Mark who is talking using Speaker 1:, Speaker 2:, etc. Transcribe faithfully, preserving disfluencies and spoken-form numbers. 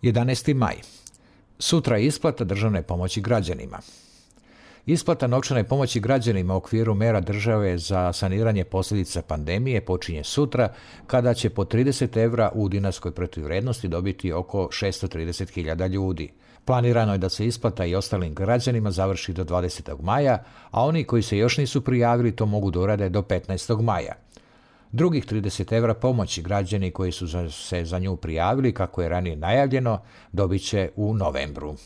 Speaker 1: jedanaesti maj. Sutra je isplata državne pomoći građanima. Isplata novčane pomoći građanima u okviru mera države za saniranje posljedica pandemije počinje sutra, kada će po trideset evra u dinarskoj protuvrijednosti dobiti oko šesto trideset hiljada ljudi. Planirano je da se isplata i ostalim građanima završi do dvadesetog maja, a oni koji se još nisu prijavili to mogu da urade do petnaestog maja. Drugih trideset evra pomoći građani koji su se za nju prijavili, kako je ranije najavljeno, dobit će u novembru.